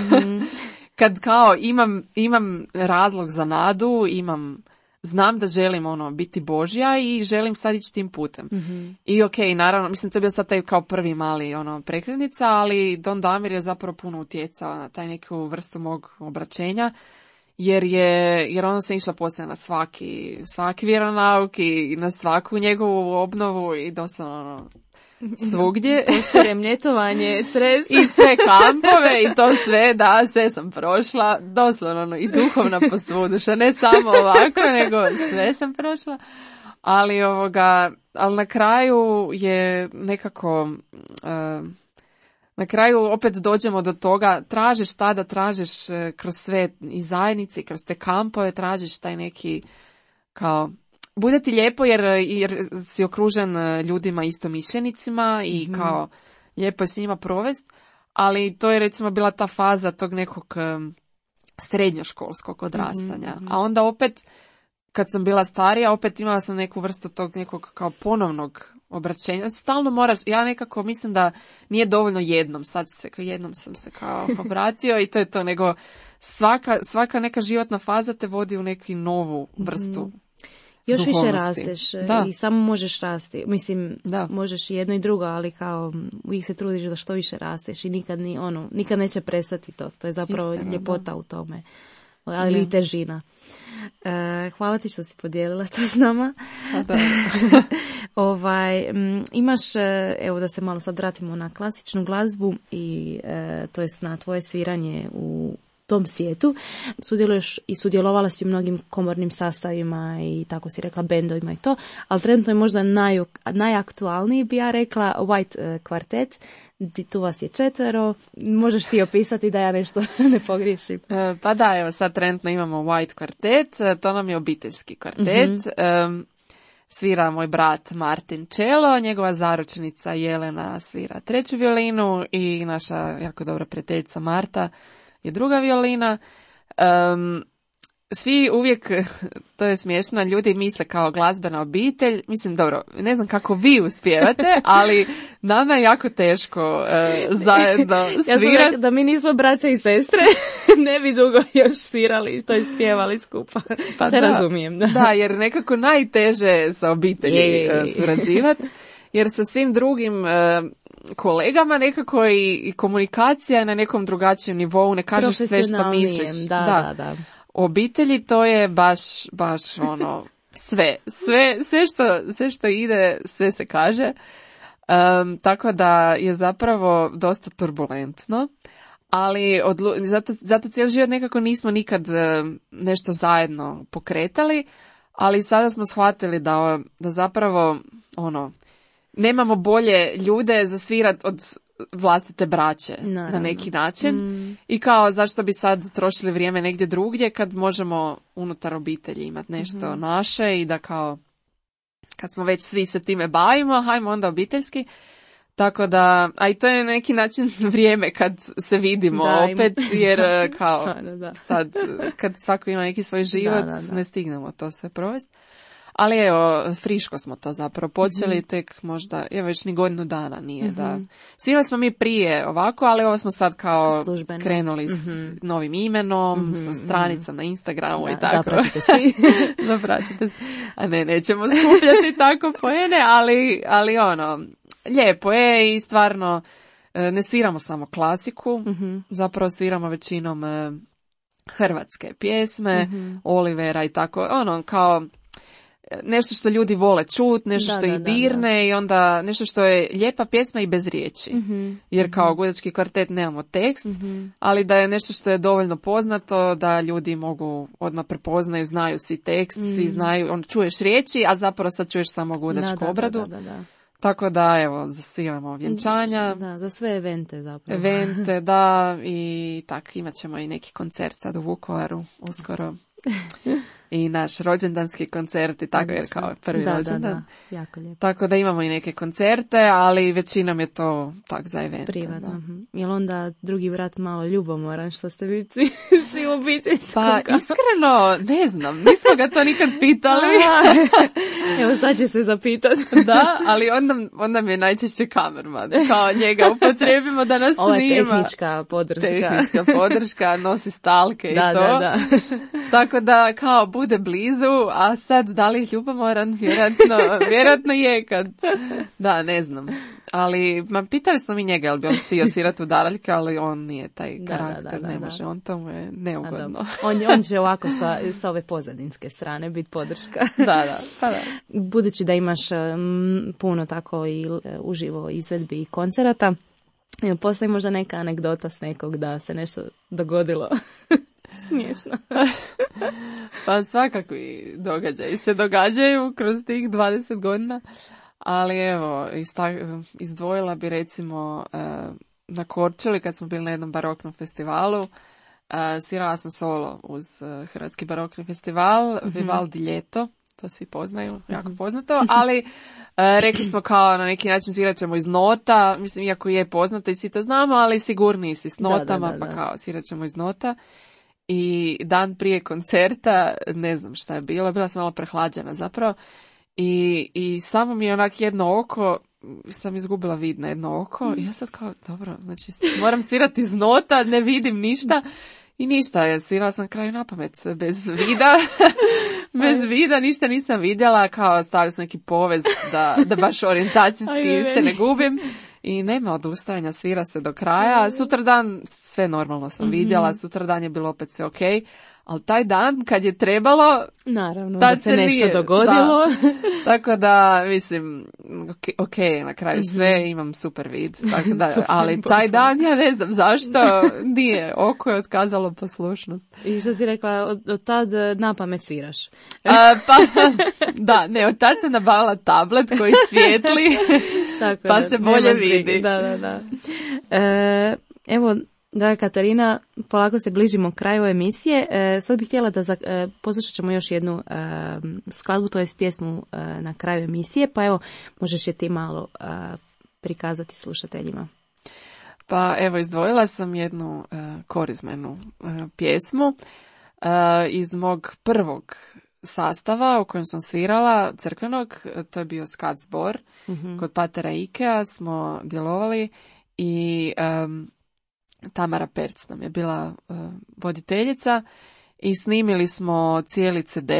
kad kao imam razlog za nadu, znam da želim biti Božja i želim sad ići tim putem. I okej, naravno, mislim to je bio sad taj kao prvi mali prekretnica, ali Don Damir je zapravo puno utjecao na taj neku vrstu mog obraćenja, jer ona se išla poslije na svaki vjeronauk i na svaku njegovu obnovu i doslovno svugdje. Remljetovanje, Cres. I sve kampove i to sve, da, sve sam prošla, doslovno i duhovna posvuduša, ne samo ovako, nego sve sam prošla. Ali na kraju je nekako, na kraju opet dođemo do toga, tražiš tada, tražiš kroz sve i zajednice, kroz te kampove, tražiš taj neki kao, bude ti lijepo jer si okružen ljudima istomišljenicima i kao lijepo je s njima provest, ali to je recimo bila ta faza tog nekog srednjoškolskog odrastanja. A onda opet, kad sam bila starija, opet imala sam neku vrstu tog nekog kao ponovnog obraćenja. Stalno moraš, ja nekako mislim da nije dovoljno jednom sam se kao obratio i to je to, nego svaka neka životna faza te vodi u neku novu vrstu još duhovnosti. Više rasteš i samo možeš rasti. Mislim, možeš i jedno i drugo, ali kao uvijek se trudiš da što više rasteš i nikad neće prestati to. To je zapravo ljepota u tome. Ali i težina. Hvala ti što si podijelila to s nama. Imaš, evo da se malo sad vratimo na klasičnu glazbu i to jest na tvoje sviranje u tom svijetu. Sudjeluješ i sudjelovala si u mnogim komornim sastavima i tako si rekla bendovima i to, ali trenutno je možda najaktualniji bi ja rekla White kvartet. Tu vas je 4, možeš ti opisati da ja nešto ne pogriješim. Pa da, evo sad trenutno imamo White kvartet, to nam je obiteljski kvartet. Svira moj brat Martin čelo, njegova zaručnica Jelena svira 3. violinu i naša jako dobra prijateljica Marta je 2. violina. Svi uvijek, to je smiješno, ljudi misle kao glazbena obitelj. Mislim, dobro, ne znam kako vi uspijevate, ali nama je jako teško zajedno svirati. Ja sam da mi nismo braća i sestre, ne bi dugo još svirali, to je spjevali skupa. Pa se razumijem. Da, jer nekako najteže sa obitelji surađivati, jer sa svim drugim kolegama nekako i komunikacija je na nekom drugačijem nivou, ne kažeš sve što misliš. Da. U obitelji to je baš ono sve što ide, sve se kaže. Tako da je zapravo dosta turbulentno, ali zato cijeli život nekako nismo nikad nešto zajedno pokretali, ali sada smo shvatili da zapravo nemamo bolje ljude za svirat od vlastite braće na neki način. I kao zašto bi sad trošili vrijeme negdje drugdje kad možemo unutar obitelji imati nešto naše i da kao kad smo već svi se time bavimo, hajmo onda obiteljski. Tako da, a i to je na neki način vrijeme kad se vidimo opet, jer kao sad kad svako ima neki svoj život, ne stignemo to sve provesti. Ali evo, friško smo to zapravo počeli, tek možda, već ni godinu dana nije da... Svirali smo mi prije ovako, ali ovo smo sad kao službeno krenuli s novim imenom, sa stranicom na Instagramu i tako. Zapratite si. Zapratite si. A nećemo skupljati tako poene, ali lijepo je i stvarno ne sviramo samo klasiku, zapravo sviramo većinom hrvatske pjesme, Olivera i tako, kao nešto što ljudi vole čut, nešto što ih dirne i onda nešto što je lijepa pjesma i bez riječi. Jer kao Gudački kvartet nemamo tekst, ali da je nešto što je dovoljno poznato da ljudi mogu odmah prepoznaju, znaju svi tekst, svi znaju, čuješ riječi, a zapravo sad čuješ samo gudačku obradu. Tako da, evo, zasviramo vjenčanja. Da, za sve evente zapravo. Evente, da, i tak, imat ćemo i neki koncert sad u Vukovaru uskoro. I naš rođendanski koncert i tako, jer kao prvi rođendan. Da, jako lijepo. Tako da imamo i neke koncerte, ali većinom je to tak za evente. Privatno. Jel onda drugi brat malo ljubomoran što ste vi svi u obitelji? Pa iskreno, ne znam, nismo ga to nikad pitali. Evo sad će se zapitati. Da, ali onda mi je najčešće kamerman. Kao njega upotrijebimo da nas snima. Ovo je tehnička podrška. Tehnička podrška, nosi stalke i to. Da. Tako da kao bude blizu, a sad da li je ljubomoran, vjerojatno je kad... Da, ne znam. Ali pitali smo mi njega, jel bi on htio svirati u daraljke, ali on nije taj karakter, ne može, on to mu je neugodno. On će ovako sa ove pozadinske strane biti podrška. Da. Budući da imaš puno tako i uživo izvedbi i koncerata, postoji možda neka anegdota s nekog da se nešto dogodilo? Smiješno. Pa svakakvi događaji se događaju kroz tih 20 godina, ali evo, izdvojila bi recimo na Korčuli kad smo bili na jednom baroknom festivalu, svirala sam solo uz Hrvatski barokni festival, Vivaldi Ljeto, to svi poznaju, jako poznato, ali rekli smo kao na neki način svirat ćemo iz nota, mislim iako je poznato i svi to znamo, ali sigurniji si s notama, pa kao svirat ćemo iz nota. I dan prije koncerta, ne znam šta je bilo, bila sam malo prehlađena zapravo, I samo mi je onak jedno oko, sam izgubila vid na jedno oko i ja sad kao, dobro, znači moram svirati iz nota, ne vidim ništa i ništa, svirala sam na kraju napamet, sve bez vida, bez vida, ništa nisam vidjela, kao stavili su neki povez da baš orijentacijski se ne gubim. I nema odustajanja, svira se do kraja. Sutradan sve normalno sam vidjela, sutradan je bilo opet sve okej. Ali taj dan kad je trebalo, naravno, da se nešto dogodilo. Da. Tako da, mislim, ok, na kraju sve, imam super vid. Tako da, ali taj dan, ja ne znam zašto, nije, oko je otkazalo poslušnost. I što si rekla, od tad napamet sviraš? Pa, da, ne, od tad sam nabavila tablet koji svijetli, tako pa se bolje vidi. Da. Evo, draga Katarina, polako se bližimo kraju emisije. Sad bih htjela da poslušat ćemo još jednu skladbu, to je pjesmu na kraju emisije, pa evo, možeš je ti malo prikazati slušateljima. Pa evo, izdvojila sam jednu korizmenu pjesmu iz mog prvog sastava u kojem sam svirala, crkvenog, to je bio skat zbor, kod patera Ikea smo djelovali i Tamara Perc nam je bila voditeljica i snimili smo cijeli CD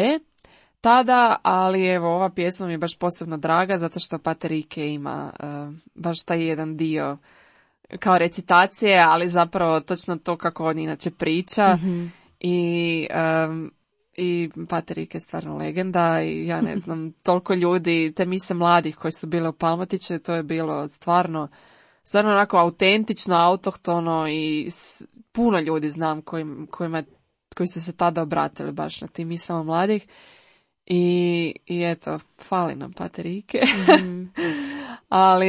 tada, ali evo ova pjesma mi je baš posebno draga zato što pater Ike ima baš taj jedan dio kao recitacije, ali zapravo točno to kako on inače priča i pater Ike je stvarno legenda i ja ne znam, toliko ljudi, te mise mladih koji su bile u Palmotiću, to je bilo stvarno onako autentično, autohtono i puno ljudi znam koji su se tada obratili baš na tim misama mladih i eto, fali nam pater Ike. ali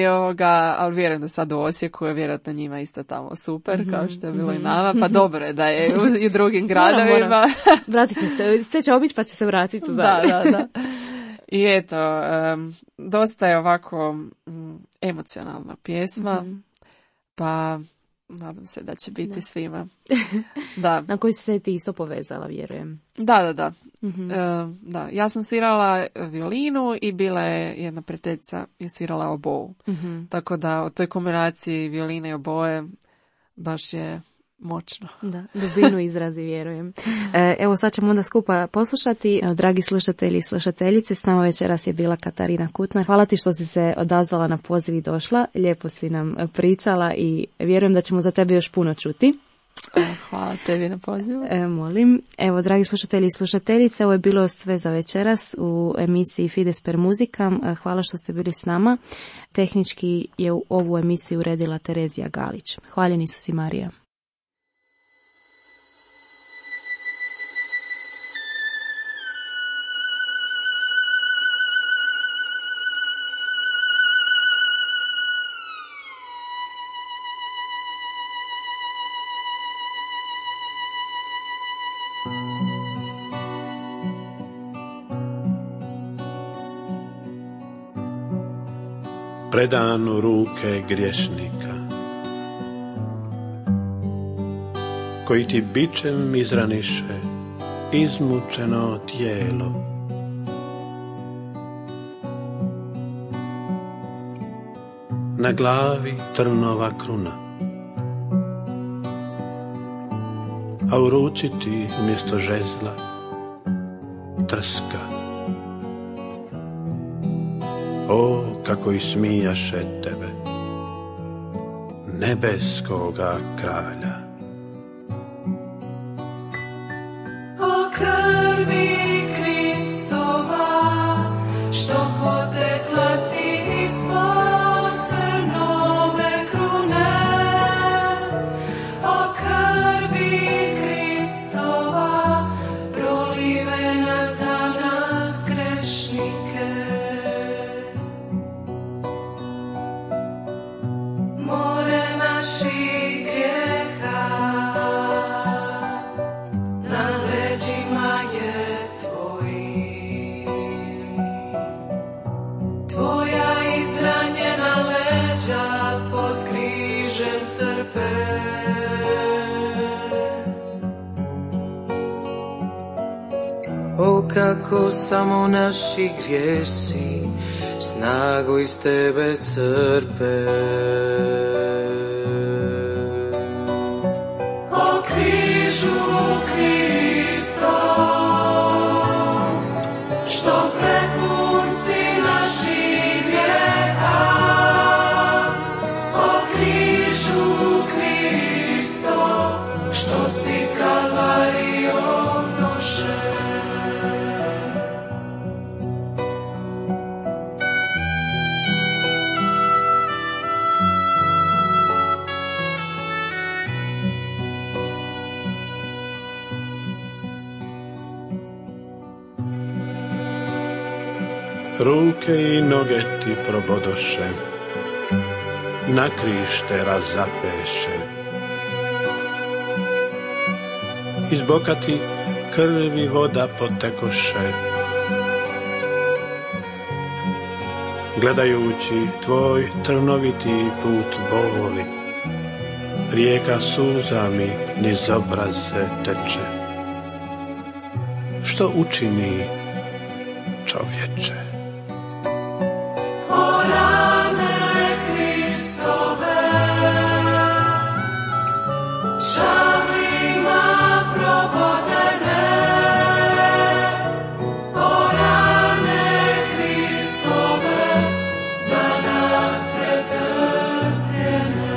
vjerujem da sad u Osijeku je vjerojatno njima isto tamo super, kao što je bilo i nama, pa dobro je da je i drugim gradovima. Vratit će se, sve će obići pa će se vratiti u Zagreb. Da. I eto, dosta je ovako emocionalna pjesma, pa nadam se da će biti svima. Da. Na koji se ti isto povezala, vjerujem. Da. Da. Ja sam svirala violinu i bila je jedna prijateljica je svirala oboju. Tako da u toj kombinaciji violine i oboje baš je moćno. Da, dubinu izrazi, vjerujem. Evo sad ćemo onda skupa poslušati. Dragi slušatelji i slušateljice, s nama večeras je bila Katarina Kutnar. Hvala ti što si se odazvala na poziv i došla. Lijepo si nam pričala i vjerujem da ćemo za tebe još puno čuti. Hvala tebi na pozivu. Molim. Evo, dragi slušatelji i slušateljice, ovo je bilo sve za večeras u emisiji Fides per Musicam. Hvala što ste bili s nama. Tehnički je u ovu emisiju uredila Terezija Galić. Hvaljeni su si, Marija. Predan u ruke griješnika, koji ti bičem izraniše izmučeno tijelo. Na glavi trnova kruna, a u ruci ti umjesto žezla trska. O, kako ismijaše tebe, nebeskoga kralja. O krvi Kristova, što potekla si ispod trnove krune. O krvi Kristova, prolivena za nas grešnike. O kako samo naši grijesi snagu iz tebe crpe. O križu Kristo, što prepun si naših grijeha, o križu Kristo, što si Kalvarijom nošen. Ruke i noge ti probodoše, na križ te razapeše. Iz boka ti krv i voda potekoše. Gledajući tvoj trnoviti put boli, rijeka suza mi niz obraze teče. Što učini čovječe? O rane Kristove, šavlima probodene, o rane Kristove, za nas pretrpljene.